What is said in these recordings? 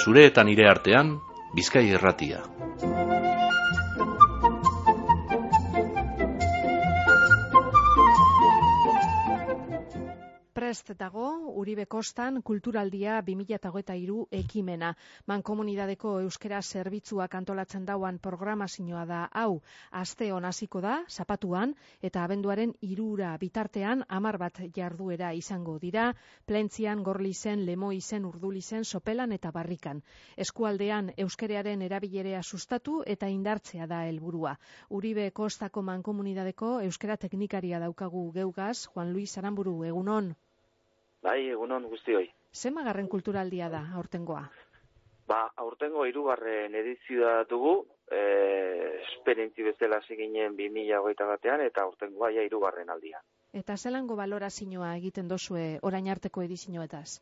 zure eta nire artean, Bizkai Irratia. Prest dago, Uribe Kostan Kulturaldia 2023 ekimena. Mankomunidadeko euskera zerbitzuak antolatzen dauan programazioa da hau. Aste hon hasiko da, zapatuan, eta abenduaren 3 bitartean 10 bat jarduera izango dira, Plentzian, Gorlizen, Lemoizen, Urdulizen, Sopelan eta Barrikan. Eskualdean euskerearen erabilerea sustatu eta indartzea da helburua. Uribe Kostako Mankomunidadeko euskera teknikaria daukagu geugaz, Juan Luis Aramburu, egunon. Bai, egunon guztioi. Zenbagarren kulturaldia da aurtengoa? Aurtengo 3. edizioa dugu, esperientzi bezala ginen 2021 eta aurtengoa ja 3. aldia. Eta zelango balorazioa egiten dozue orain arteko edizioetaz?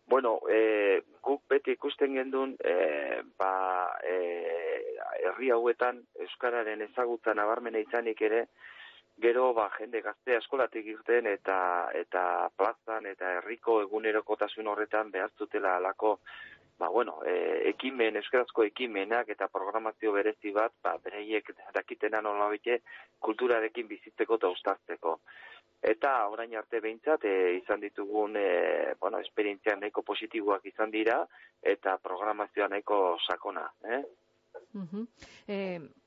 Bueno, guk beti ikusten gendun, herri hauetan euskararen ezagutza nabarmena izanik ere, gero jende gaztea eskolatik irten eta plazan eta herriko egunerokotasun horretan behar zutela alako ekimen, euskarazko ekimenak eta programazio berezi bat, bereiek dakitena nolabait kulturarekin bizitzeko eta uztartzeko. Eta orain arte behintzat izan ditugun esperientziak nahiko positiboak izan dira eta programazioa nahiko sakona.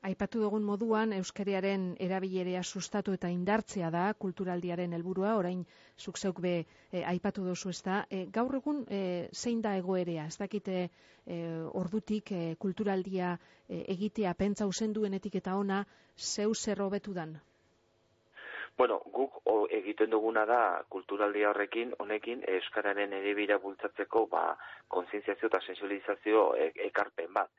Aipatu dugun moduan, euskararen erabilerea sustatu eta indartzea da kulturaldiaren helburua, orain zuk zeuk be aipatu duzu ezta. Gaur egun zein da egoerea? Ez dakite ordutik kulturaldia egitea pentsau zenduenetik eta ona zeu zer hobetu dan? Bueno, guk egiten duguna da kulturaldia honekin euskararen erabilera bultzatzeko kontzientziazio eta sentsibilizazio ekarpen bat.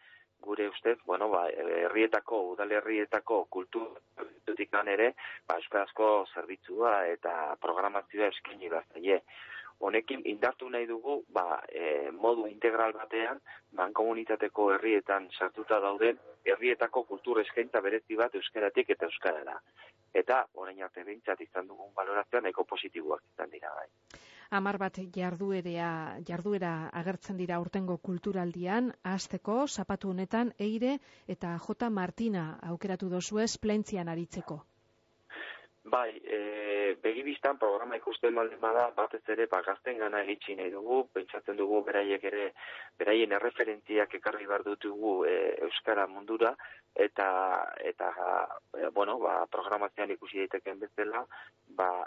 Gure ustez, udalerrietako kulturatikan ere, euskarazko zerbitzua eta programazioa eskaini behar zaie. Honekin indartu nahi dugu, modu integral batean, mankomunitateko herrietan sartuta dauden, herrietako kultur eskaintza berezi bat euskaratik eta euskarara. Eta, orain arte behintzat izan dugun balorazioa nahiko positiboak izan dira bai. 10 bat jarduera agertzen dira aurtengo kulturaldian, hasteko zapatu honetan Eire eta J. Martina aukeratu dozuez Plentzian aritzeko. Bai, begibistan programa ikusten baldin bada, batez ere gaztengana iritsi nahi dugu, pentsatzen dugu beraien erreferentziak ekarri behar dutugu euskara mundura, eta programazioan ikusi daiteken bezala,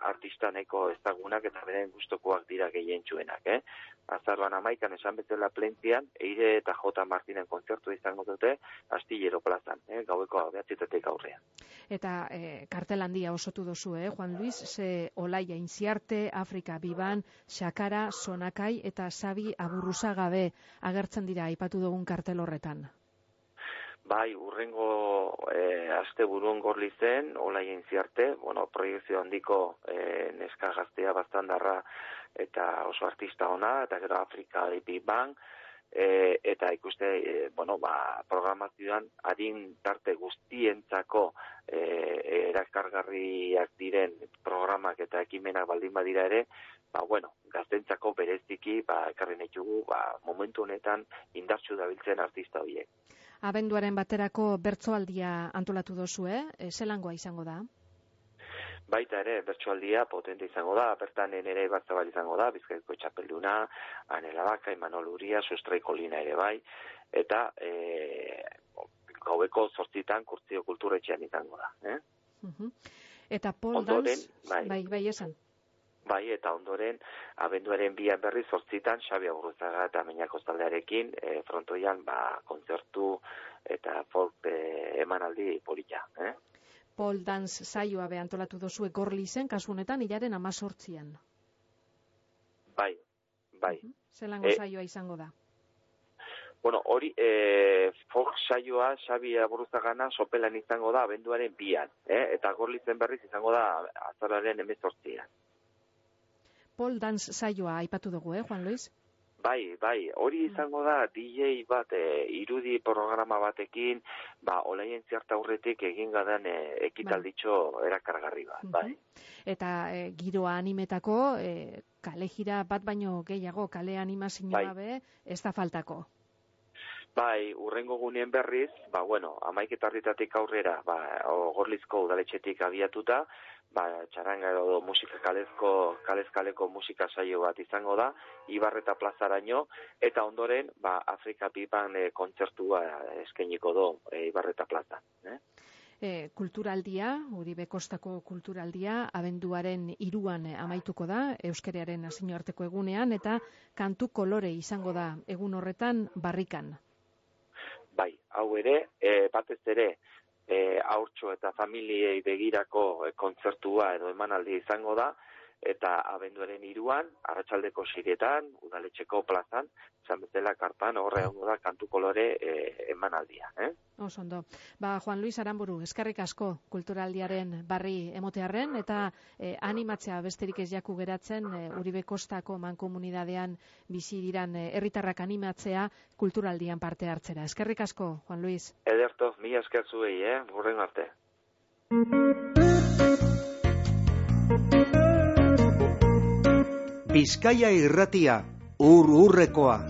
artista nahiko ezagunak eta beren gustokoak dira gehientsuenak. Azaroan 11 esan bezala Plentzian, Eire eta J. Martinen kontzertu izango dute, Astillero plazan, gaueko 9:00 aurrean. Eta kartel handia osotu dozu, Juan Luis, ze Olaia Inziarte, Afrika Biban, Xakara, Sonakai eta Xabi Aburruzagabe agertzen dira aipatu dugun kartel horretan. Bai, urrengo asteburuan Gorlizen, Olaia Inziarte, proiekzio handiko neska gaztea bastandarra eta oso artista ona, eta gero Afrika Biban, eta ikuste, programazioan adin tarte guztientzako erakargarriak diren programak eta ekimenak baldin badira ere, gaztentzako bereziki, ekarri nahi dugu, momentu honetan indartsu dabiltzen artista horiek. Abenduaren baterako bertsoaldia antolatu dozu, zelangoa izango da? Baita ere, bertsoaldia potente izango da, bertan ere Batzabal izango da, Bizkaiko txapelduna, Anela Baka, Imanol Uria, Sustraiko Lina ere bai, eta gaueko 8:00 Kurtzio Kulturetxean izango da. Eta Paul Dans, bai esan. Bai, eta ondoren, abenduaren 2 berri 8:00 Xabi Aburruzaga eta Meñako taldearekin, frontoian kontzertu eta folk emanaldi polita. Paul Dance saioa antolatu dozue Gorlizen, kasu honetan hilaren 18. Bai. Zelango saioa izango da? Hori, folk saioa Xabi Aburruzagana Sopelan izango da abenduaren 2, eta Gorlizen berriz izango da azaroaren 18. Paul Dance saioa aipatu dugu, Juan Luis? Bai, hori izango da DJ bat irudi programa batekin, olaien zerta aurretik egin gadan ekitalditxo erakargarri bat, bai. Eta giroa animetako kale jira bat baino gehiago, kale animazioa be, ez da faltako. Bai, urrengo gunien berriz, 11:00 aurrera, Gorlizko udaletxetik abiatuta, txaranga edo musika kalezkaleko musika saio bat izango da, Ibarreta plazaraino, eta ondoren, Afrika Pipan kontzertua eskainiko do Ibarreta plaza. Kulturaldia, Uribe Kostako kulturaldia, abenduaren 3an amaituko da, euskararen nazioarteko egunean, eta kantu kolore izango da, egun horretan barrikan. Bai, hau ere, batez ere, haurtxo eta familiei begirako kontzertua edo emanaldia izango da, eta abenduaren 3an, arratsaldeko 6etan, udaletxeko plazan, izan bezala karpan horre hongo da kantu kolore emanaldia. Osondo. Juan Luis Aramburu, eskerrik asko kulturaldiaren barri emotearren, eta animatzea besterik ez jaku geratzen, Uribe Kostako mankomunidadean bizi diran herritarrak animatzea kulturaldian parte hartzera. Eskerrik asko, Juan Luis. Ederto, mila esker zuei, hurrengo arte. Bizkaia Irratia, ur-urrekoa.